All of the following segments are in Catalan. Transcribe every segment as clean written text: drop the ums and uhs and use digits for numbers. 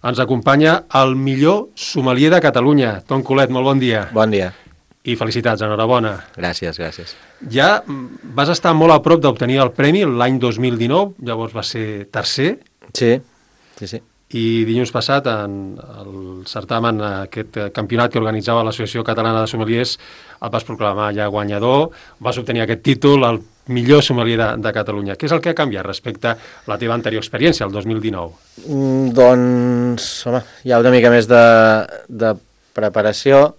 Ens acompanya el millor sommelier de Catalunya. Ton Colet, molt bon dia. Bon dia. I felicitats, enhorabona. Gràcies, gràcies. Ja vas estar molt a prop d'obtenir el premi l'any 2019, llavors va ser tercer. Sí. I dilluns passat, en el certamen, aquest campionat que organitzava l'Associació Catalana de Sommeliers, el vas proclamar ja guanyador, vas obtenir aquest títol, el millor sommelier de Catalunya. Què és el que ha canviat respecte a la teva anterior experiència, el 2019? Doncs, home, hi ha una mica més de preparació,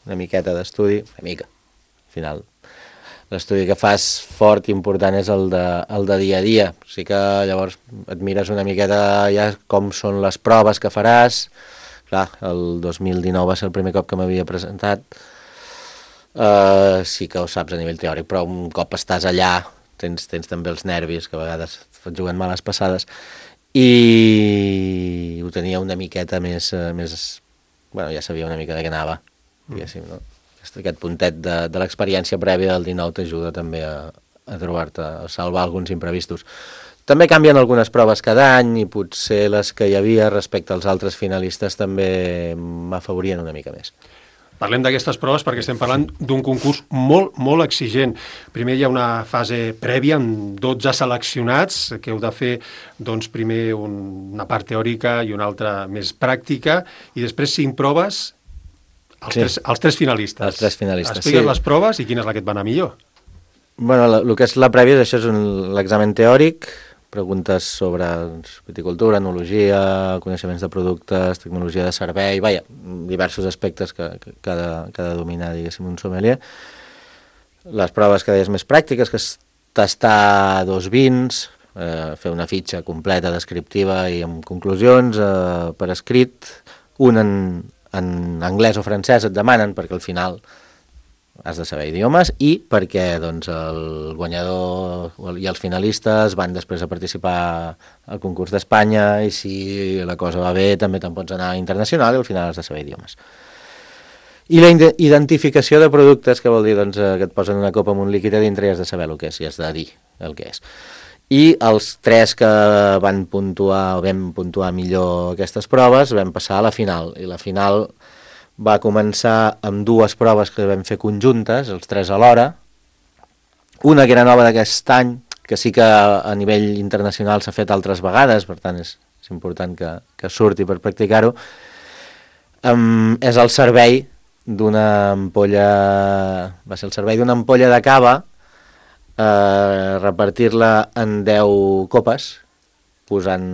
una miqueta d'estudi, una mica, al final. L'estudi que fas fort i important és el de dia a dia. O sigui que llavors et mires una miqueta ja com són les proves que faràs. Clar, el 2019 va ser el primer cop que m'havia presentat. Sí que ho saps a nivell teòric, però un cop estàs allà tens també els nervis, que a vegades et juguen males passades, i ho tenia una miqueta més bueno, ja sabia una mica de què anava, diguéssim, no? Aquest puntet de l'experiència prèvia del 19 t'ajuda també a trobar-te, a salvar alguns imprevistos. També canvien algunes proves cada any i potser les que hi havia respecte als altres finalistes també m'afavorien una mica més. Parlem d'aquestes proves perquè estem parlant d'un concurs molt, molt exigent. Primer hi ha una fase prèvia amb 12 seleccionats que heu de fer doncs, primer una part teòrica i una altra més pràctica i després 5 proves. Els tres finalistes. Els 3 finalistes, Explica't les proves i quina és la que et va anar millor. Bueno, el que és la prèvia, això és l'examen teòric, preguntes sobre viticultura, enologia, coneixements de productes, tecnologia de servei, diversos aspectes que ha de dominar, diguéssim, un sommelier. Les proves que deies més pràctiques, que és tastar 2 vins, fer una fitxa completa, descriptiva i amb conclusions per escrit, un en anglès o francès et demanen, perquè al final has de saber idiomes, i perquè doncs, el guanyador i els finalistes van després a participar al concurs d'Espanya, i si la cosa va bé també te'n pots anar internacional i al final has de saber idiomes. I la identificació de productes, que vol dir doncs, que et posen una copa amb un líquid a dintre i has de saber el que és, i has de dir el que és. I els 3 que vam puntuar millor aquestes proves vam passar a la final, i la final va començar amb 2 proves que vam fer conjuntes, els 3 alhora, una que era nova d'aquest any, que sí que a nivell internacional s'ha fet altres vegades, per tant és important que surti per practicar-ho, és el servei d'una ampolla, va ser el servei d'una ampolla de cava, repartir-la en 10 copes, posant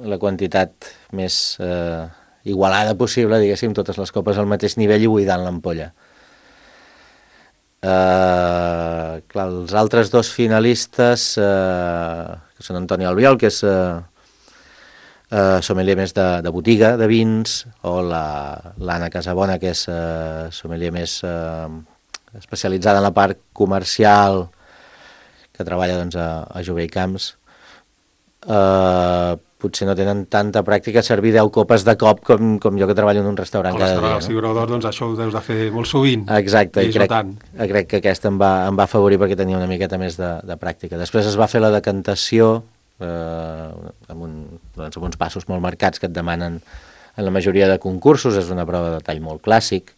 la quantitat més igualada possible, diguéssim, totes les copes al mateix nivell i buidant l'ampolla. Clar, els altres 2 finalistes, que són Antoni Albiol, que és sommelier més de botiga, de vins, o l'Anna Casabona, que és sommelier més especialitzada en la part comercial, que treballa doncs, a Jove i Camps, potser no tenen tanta pràctica a servir 10 copes de cop com jo, que treballo en un restaurant cada dia. Els figuradors, doncs això ho deus de fer molt sovint. Exacte, i crec que aquesta em va afavorir perquè tenia una miqueta més de pràctica. Després es va fer la decantació amb uns passos molt marcats que et demanen en la majoria de concursos, és una prova de tall molt clàssic.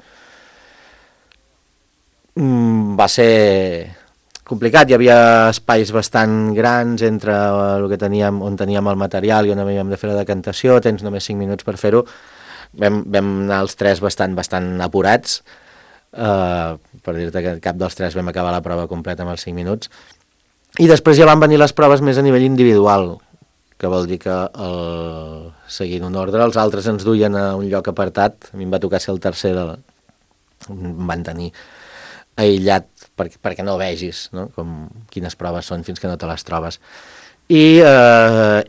Va ser complicat, hi havia espais bastant grans entre el que teníem, on teníem el material i on havíem de fer la decantació, tens només 5 minuts per fer-ho. Vam anar els 3 bastant apurats, per dir-te que cap dels 3 vam acabar la prova completa amb els 5 minuts. I després ja van venir les proves més a nivell individual, que vol dir que seguint un ordre, els altres ens duien a un lloc apartat. A mi em va tocar ser el tercer, em van tenir aïllat perquè no vegis, no? Quines proves són fins que no te les trobes. I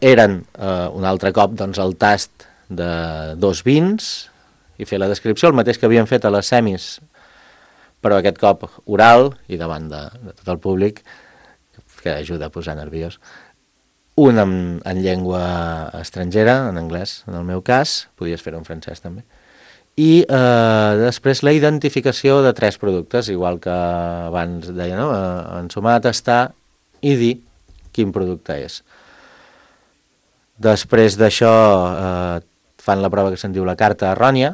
eren un altre cop doncs, el tast de 2 vins i fer la descripció, el mateix que havíem fet a les semis, però aquest cop oral i davant de tot el públic, que ajuda a posar nerviós. Un en llengua estrangera, en anglès, en el meu cas, podies fer-ho en francès també. I després la identificació de 3 productes, igual que abans deia, no? Ensumar, tastar i dir quin producte és. Després d'això fan la prova que se'n diu la carta errònia,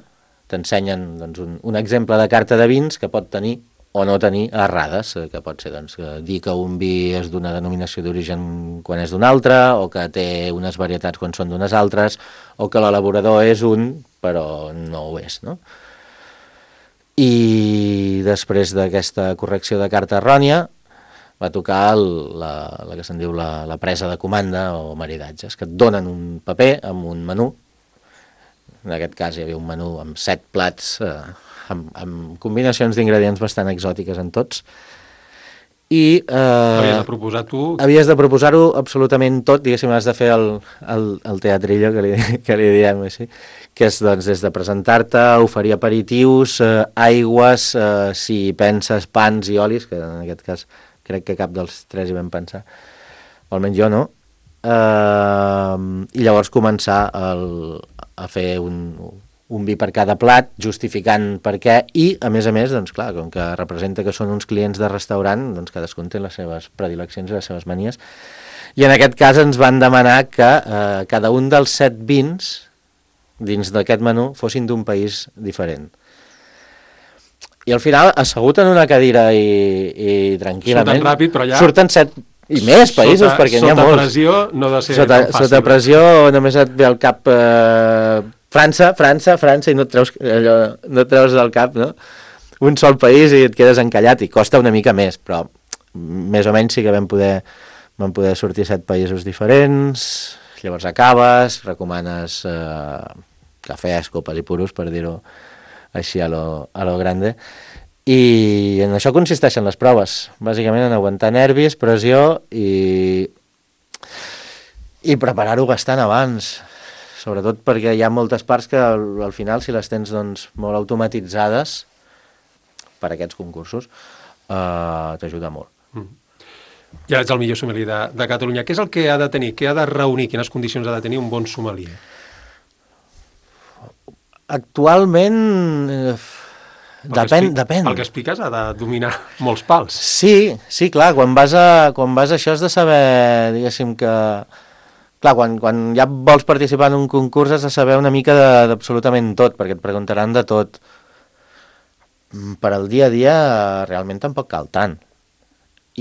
t'ensenyen doncs, un exemple de carta de vins que pot tenir o no tenir errades, que pot ser doncs, dir que un vi és d'una denominació d'origen quan és d'una altra, o que té unes varietats quan són d'unes altres, o que l'elaborador és un, però no ho és, no? I després d'aquesta correcció de carta errònia va tocar la que se'n diu la presa de comanda o maridatges, que et donen un paper amb un menú. En aquest cas hi havia un menú amb 7 plats, amb combinacions d'ingredients bastant exòtiques en tots. I havies de proposar tu... Havies de proposar-ho absolutament tot, diguéssim, has de fer el teatrillo que li diem així, que és doncs, des de presentar-te, oferir aperitius, aigües, si penses pans i olis, que en aquest cas crec que cap dels 3 hi vam pensar, o almenys jo no, i llavors començar a fer un vi per cada plat, justificant per què, i a més, doncs clar, com que representa que són uns clients de restaurant, doncs cadascun té les seves predileccions i les seves manies, i en aquest cas ens van demanar que cada un dels 7 vins dins d'aquest menú fossin d'un país diferent. I al final, assegut en una cadira i tranquil·lament... Surten ràpid, però ja... Surten 7 i més països, perquè n'hi ha molts. Sota pressió no ha de ser tan fàcil. Sota pressió només et ve al cap França, i no et treus del cap, no? Un sol país i et quedes encallat, i costa una mica més, però més o menys sí que vam poder sortir 7 països diferents, llavors acabes, recomanes cafès, copes i puros, per dir-ho així a lo grande, i en això consisteixen les proves, bàsicament en aguantar nervis, pressió i preparar-ho bastant abans, sobretot perquè hi ha moltes parts que al final, si les tens doncs, molt automatitzades per aquests concursos, t'ajuda molt. Ja ets el millor sommelier de Catalunya. Què és el que ha de tenir? Què ha de reunir? Quines condicions ha de tenir un bon sommelier? Actualment, depèn. El que expliques ha de dominar molts pals. Sí, clar, quan vas a això has de saber, diguéssim que... Clar, quan ja vols participar en un concurs has de saber una mica d'absolutament tot, perquè et preguntaran de tot. Per al dia a dia realment tampoc cal tant.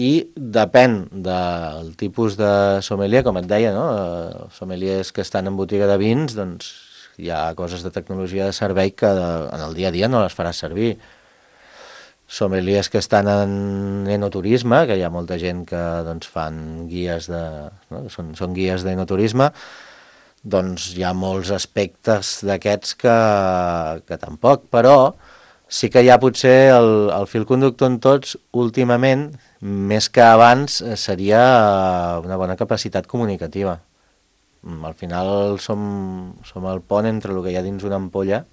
I depèn del tipus de sommelier, com et deia, no? Sommeliers que estan en botiga de vins, doncs hi ha coses de tecnologia de servei que en el dia a dia no les faràs servir. Sommeliers que estan en enoturisme, que hi ha molta gent que doncs, fan guies no? Són guies d'enoturisme, doncs hi ha molts aspectes d'aquests que tampoc, però sí que hi ha potser el fil conductor en tots últimament, més que abans, seria una bona capacitat comunicativa. Al final som el pont entre el que hi ha dins una ampolla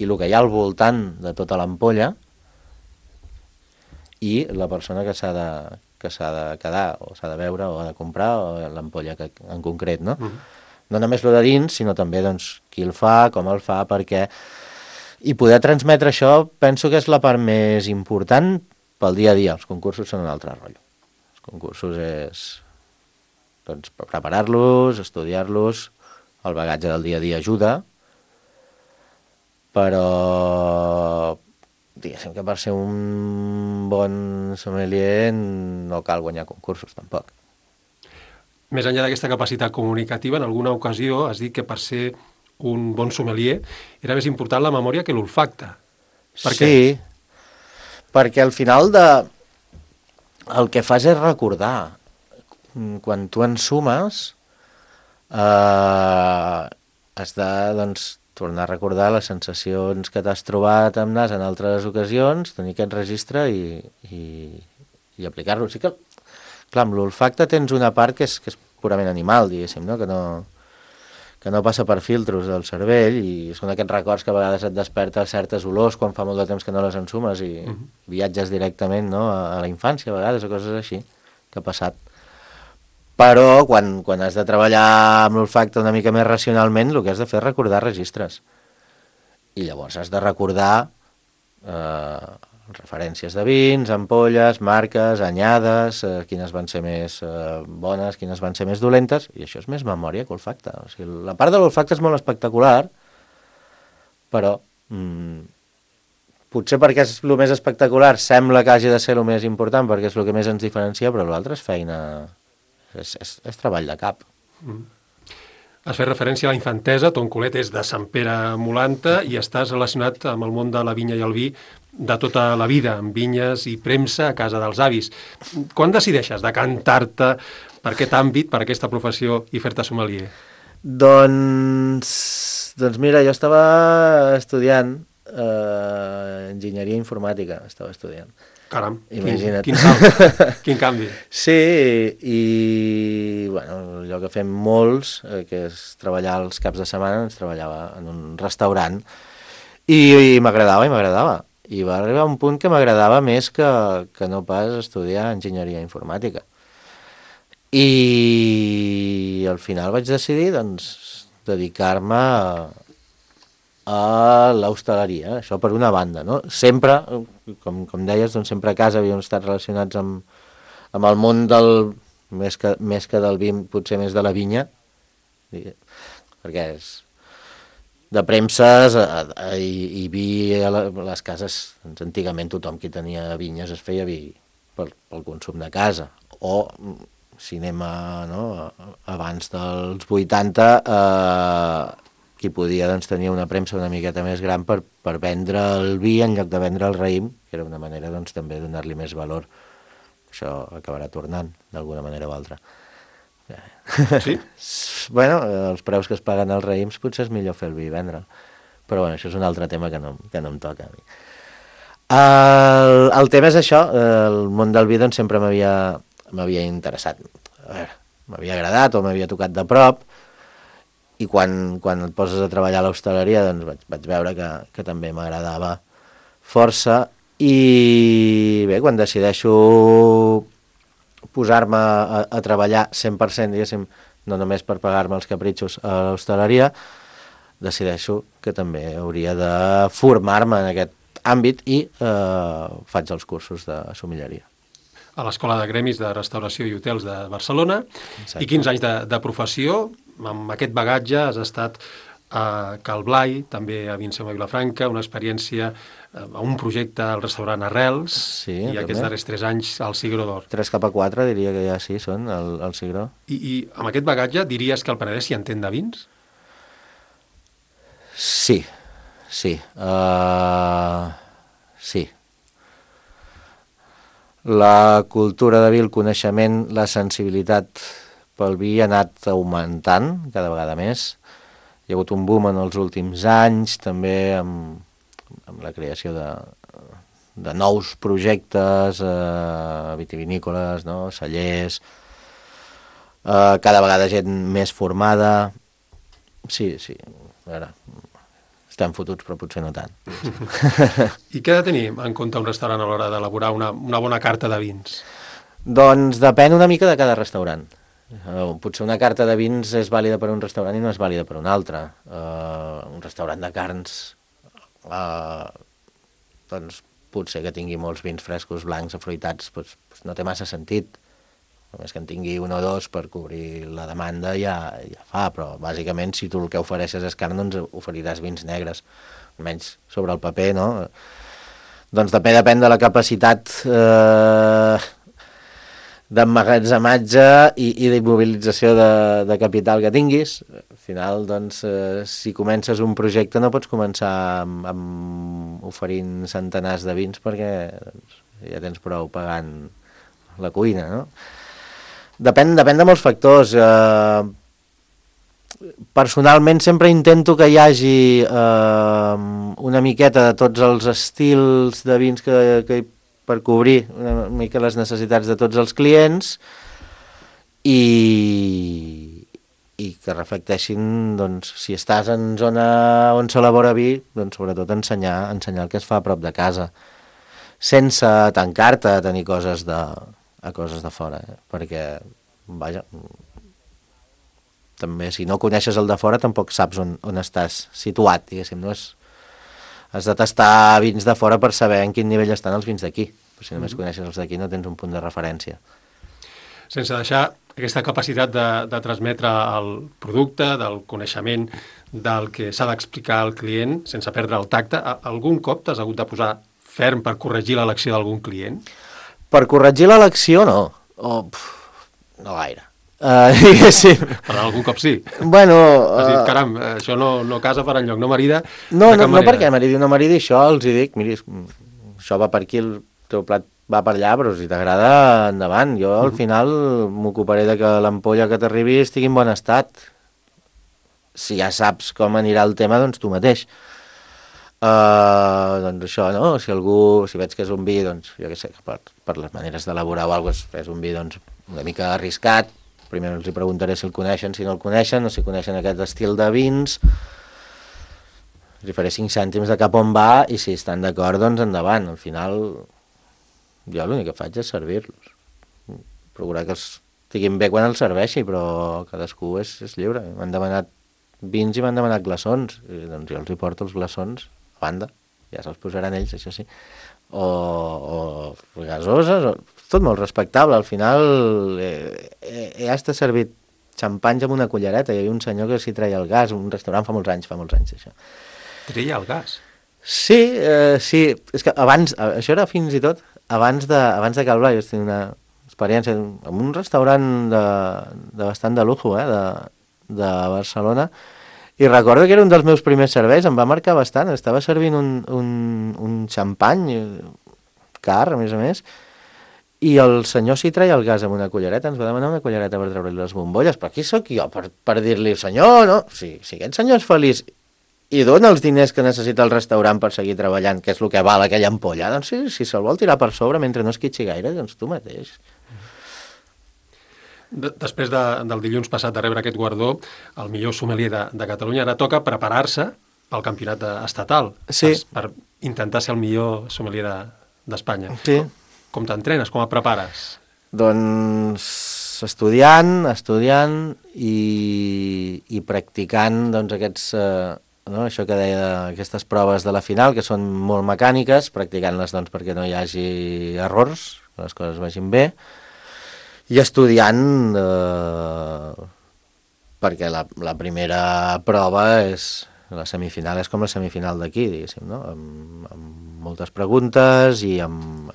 i el que hi ha al voltant de tota l'ampolla i la persona que s'ha de quedar, o s'ha de veure, o ha de comprar, o l'ampolla en concret, no? No només el de dins, sinó també doncs, qui el fa, com el fa, per què... I poder transmetre això penso que és la part més important pel dia a dia. Els concursos són un altre rotllo. Els concursos és doncs, preparar-los, estudiar-los, el bagatge del dia a dia ajuda, però diguéssim que per ser un bon sommelier no cal guanyar concursos tampoc. Més enllà d'aquesta capacitat comunicativa, en alguna ocasió has dit que per ser un bon sommelier era més important la memòria que l'olfacte. Per què? Sí, perquè al final el que fas és recordar. Quan tu ensumes has de doncs, tornar a recordar les sensacions que t'has trobat amb nas en altres ocasions, tenir aquest registre i aplicar-lo. Sí que, clar, amb l'olfacte tens una part que és purament animal, diguéssim, no? Que no passa per filtros del cervell i són aquests records que a vegades et desperta certes olors quan fa molt de temps que no les ensumes i viatges directament, no? a la infància a vegades o coses així que ha passat. Però quan has de treballar amb l'olfacte una mica més racionalment, el que has de fer és recordar registres. I llavors has de recordar referències de vins, ampolles, marques, anyades, quines van ser més bones, quines van ser més dolentes, i això és més memòria que olfacte. O sigui, la part de l'olfacte és molt espectacular, però potser perquè és el més espectacular, sembla que hagi de ser el més important, perquè és el que més ens diferencia, però l'altre és feina, és treball de cap. Has fet referència a la infantesa, ton culet és de Sant Pere Molanta i estàs relacionat amb el món de la vinya i el vi de tota la vida, amb vinyes i premsa a casa dels avis. Quan decideixes decantar-te per aquest àmbit, per aquesta professió i fer-te sommelier? Doncs mira, jo estava estudiant enginyeria informàtica, estava estudiant. Caram, imagina't. Quin canvi. Sí, i bueno, allò que fem molts, que és treballar els caps de setmana, ens treballava en un restaurant i m'agradava. I va arribar un punt que m'agradava més que no pas estudiar enginyeria informàtica. I al final vaig decidir doncs, dedicar-me a l'hostaleria, això per una banda, no? Sempre, com deies, doncs sempre a casa havíem estat relacionats amb el món més que del vi, potser més de la vinya, perquè és de premses i vi a les cases, doncs antigament tothom qui tenia vinyes es feia vi pel consum de casa, o si anem abans dels 80, qui podia doncs, tenir una premsa una miqueta més gran per vendre el vi en lloc de vendre el raïm, que era una manera doncs, també de donar-li més valor. Això acabarà tornant, d'alguna manera o altra. Sí? Bueno, els preus que es paguen als raïms potser és millor fer el vi i vendre'l. Però bueno, això és un altre tema que no em toca a mi. El tema és això, el món del vi doncs, sempre m'havia interessat. A veure, m'havia agradat o m'havia tocat de prop, i quan et poses a treballar a l'hostaleria doncs vaig veure que també m'agradava força, i bé, quan decideixo posar-me a treballar 100%, diguéssim, no només per pagar-me els capritxos a l'hostaleria, decideixo que també hauria de formar-me en aquest àmbit i faig els cursos de sommelleria. A l'Escola de Gremis de Restauració i Hotels de Barcelona. Exacte. I 15 anys de professió. Amb aquest bagatge has estat a Cal Blai, també a Vincent i Vilafranca, una experiència a un projecte al restaurant Arrels, sí, i també. Aquests darrers 3 anys al Cigró d'Or. 3 cap a 4 diria que ja sí són al Cigró. I amb aquest bagatge diries que el Penedès s'hi entén de vins? Sí. Sí. La cultura de vi, el coneixement, la sensibilitat pel vi ha anat augmentant cada vegada més. Hi ha hagut un boom en els últims anys, també amb la creació de nous projectes vitivinícoles, no? Cellers, cada vegada gent més formada. Sí, a veure, estem fotuts, però potser no tant. I què ha de tenir en compte un restaurant a l'hora d'elaborar una bona carta de vins? Doncs depèn una mica de cada restaurant. Potser una carta de vins és vàlida per un restaurant i no és vàlida per un altre. Un restaurant de carns, doncs potser que tingui molts vins frescos, blancs, afruitats, doncs no té massa sentit. Només que en tingui un o dos per cobrir la demanda ja fa, però bàsicament si tu el que ofereixes és carn, doncs oferiràs vins negres, almenys sobre el paper, no? Doncs depèn de la capacitat d'emmagatzematge i d'immobilització de capital que tinguis. Al final, doncs, si comences un projecte no pots començar amb oferint centenars de vins perquè doncs, ja tens prou pagant la cuina, no? Depèn de molts factors. Personalment sempre intento que hi hagi una miqueta de tots els estils de vins que per cobrir una mica les necessitats de tots els clients i que reflecteixin, doncs, si estàs en zona on s'elabora vi, doncs sobretot ensenyar el que es fa a prop de casa, sense tancar-te a tenir coses de fora, perquè, vaja, també si no coneixes el de fora tampoc saps on estàs situat, diguéssim, no és... Has de tastar vins de fora per saber en quin nivell estan els vins d'aquí, però si només coneixes els d'aquí no tens un punt de referència. Sense deixar aquesta capacitat de transmetre el producte, del coneixement del que s'ha d'explicar al client sense perdre el tacte. Algun cop t'has hagut de posar ferm per corregir l'elecció d'algun client? Per corregir l'elecció, no. No gaire. Diguéssim. Per algun cop sí. Bueno... Has dit, caram, això no casa per enlloc, no marida no perquè maridi o no maridi, això els hi dic, miri, això va per aquí, el teu plat va per allà, però si t'agrada, endavant. Jo al final m'ocuparé de que l'ampolla que t'arribi estigui en bon estat. Si ja saps com anirà el tema, doncs tu mateix. Doncs això, no? Si veig que és un vi, doncs, jo què sé, per les maneres d'elaborar o alguna cosa, és un vi doncs, una mica arriscat, primer els hi preguntaré si el coneixen, si no el coneixen, o si coneixen aquest estil de vins, els hi faré 5 cèntims de cap on va, i si estan d'acord, doncs endavant. Al final, jo l'únic que faig és servir-los. Procurar que els estiguin bé quan els serveixi, però cadascú és lliure. M'han demanat vins i m'han demanat glaçons, i doncs jo els hi porto els glaçons a banda, ja se'ls posaran ells, això sí, o gasoses, tot molt respectable. Al final ja està servit xampanys amb una cullereta. Hi havia un senyor que s'hi treia el gas, un restaurant fa molts anys, això. Treia el gas? Sí, és que abans, això era fins i tot abans de Cal Blai. Jo tenia una experiència en un restaurant de bastant de lujo, de Barcelona, i recordo que era un dels meus primers serveis, em va marcar bastant. Estava servint un xampany car, a més, i el senyor s'hi treia el gas amb una cullereta, ens va demanar una cullereta per treure-li les bombolles, però qui sóc jo per dir-li, senyor, no? Si aquest senyor és feliç i dona els diners que necessita el restaurant per seguir treballant, que és el que val aquella ampolla, doncs si se'l vol tirar per sobre mentre no es quitxi gaire, doncs tu mateix. Després del dilluns passat de rebre aquest guardó, el millor sommelier de Catalunya, ara toca preparar-se pel campionat estatal, sí, per intentar ser el millor sommelier d'Espanya. Sí. Com t'entrenes? Com et prepares? Doncs estudiant i practicant doncs, això que deia, aquestes proves de la final, que són molt mecàniques, practicant-les doncs, perquè no hi hagi errors, que les coses vagin bé, i estudiant perquè la primera prova la semifinal és com la semifinal d'aquí, diguéssim, no? Amb moltes preguntes i amb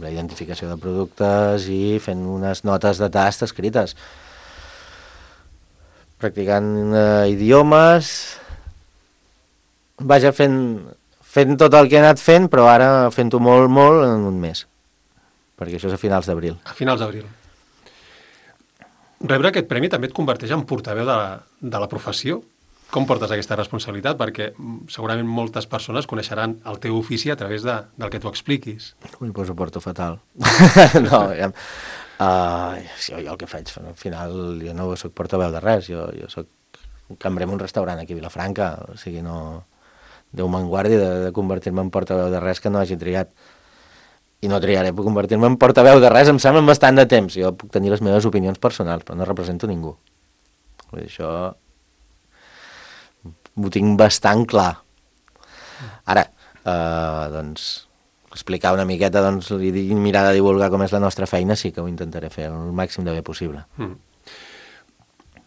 la identificació de productes i fent unes notes de tast escrites. Practicant idiomes, vaja, fent tot el que he anat fent, però ara fent-ho molt en un mes, perquè això és a finals d'abril. A finals d'abril. Rebre aquest premi també et converteix en portaveu de la professió. Com portes aquesta responsabilitat? Perquè segurament moltes persones coneixeran el teu ofici a través del que tu expliquis. Ui, doncs ho porto fatal. No, jo el que faig, al final jo no soc portaveu de res, jo soc un cambrer en un restaurant aquí a Vilafranca, o sigui, no... Déu me'n guardi de convertir-me en portaveu de res que no hagi triat. I no triaré per convertir-me en portaveu de res, em sembla bastant de temps. Jo puc tenir les meves opinions personals, però no represento ningú. Això ho tinc bastant clar. Ara, doncs, explicar una miqueta doncs, i mirar de divulgar com és la nostra feina, sí que ho intentaré fer el màxim de bé possible.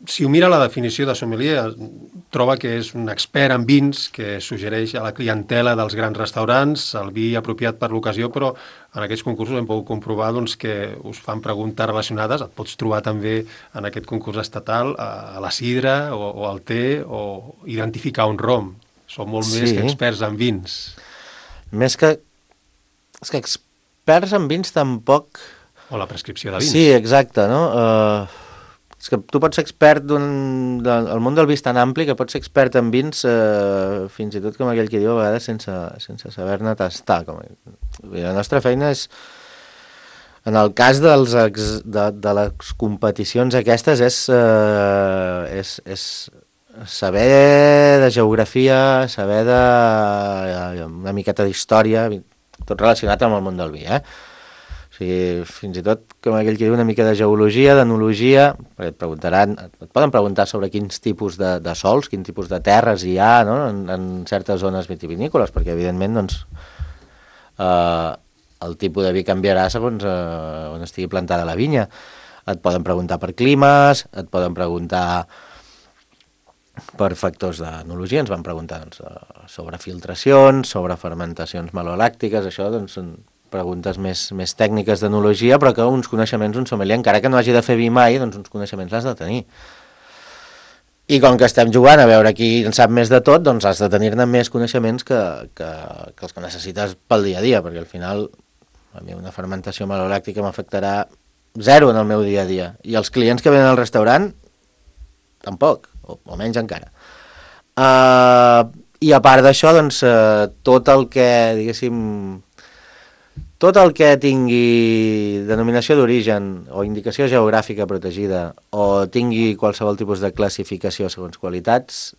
Si ho mira la definició de sommelier, troba que és un expert en vins que suggereix a la clientela dels grans restaurants el vi apropiat per l'ocasió, però en aquests concursos hem pogut comprovar doncs, que us fan preguntes relacionades. Et pots trobar també en aquest concurs estatal a la sidra o al te o identificar un rom. Són molt més que experts en vins. Més que... És que experts en vins tampoc... O la prescripció de vins. Sí, exacte, no? És que tu pots ser expert del món del vi tan ampli que pots ser expert en vins fins i tot com aquell que diu a vegades sense saber-ne tastar. La nostra feina és, en el cas de les competicions aquestes, és saber de geografia, saber una miqueta d'història, tot relacionat amb el món del vi, fins i tot, com aquell que diu, una mica de geologia, d'enologia, perquè et poden preguntar sobre quins tipus de sols, quins tipus de terres hi ha, no? en certes zones vitivinícoles, perquè evidentment doncs, el tipus de vi canviarà segons on estigui plantada la vinya. Et poden preguntar per climes, et poden preguntar per factors d'enologia. Ens van preguntar doncs, sobre filtracions, sobre fermentacions malolàctiques, això doncs, són preguntes més tècniques d'enologia, però que uns coneixements un sommelier, encara que no hagi de fer vi mai, doncs uns coneixements l'has de tenir. I com que estem jugant a veure qui en sap més de tot, doncs has de tenir-ne més coneixements que els que necessites pel dia a dia, perquè al final a mi una fermentació malolàctica m'afectarà zero en el meu dia a dia. I els clients que venen al restaurant, tampoc, o menys encara. I a part d'això, doncs, tot el que, diguéssim, tot el que tingui denominació d'origen o indicació geogràfica protegida o tingui qualsevol tipus de classificació segons qualitats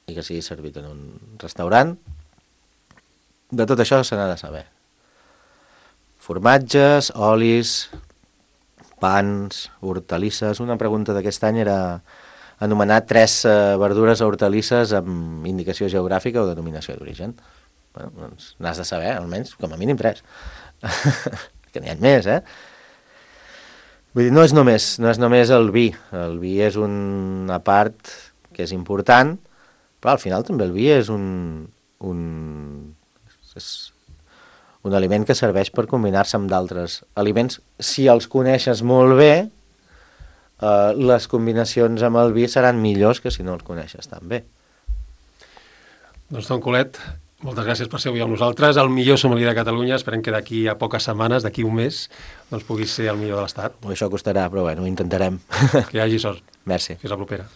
i que sigui servit en un restaurant, de tot això se n'ha de saber. Formatges, olis, pans, hortalisses. Una pregunta d'aquest any era anomenar 3 verdures o hortalisses amb indicació geogràfica o denominació d'origen. Bueno, doncs n'has de saber, almenys, com a mínim 3. Que n'hi ha més, Vull dir, no és només el vi. El vi és una part que és important, però al final també el vi és un aliment que serveix per combinar-se amb d'altres aliments. Si els coneixes molt bé, les combinacions amb el vi seran millors que si no els coneixes tan bé. Doncs, Tom Colet, moltes gràcies per ser avui amb nosaltres. El millor sommelier de Catalunya. Esperem que d'aquí a poques setmanes, d'aquí un mes, doncs puguis ser el millor de l'Estat. Això costarà, però bueno, ho intentarem. Que hi hagi sort. Merci. Fins la propera.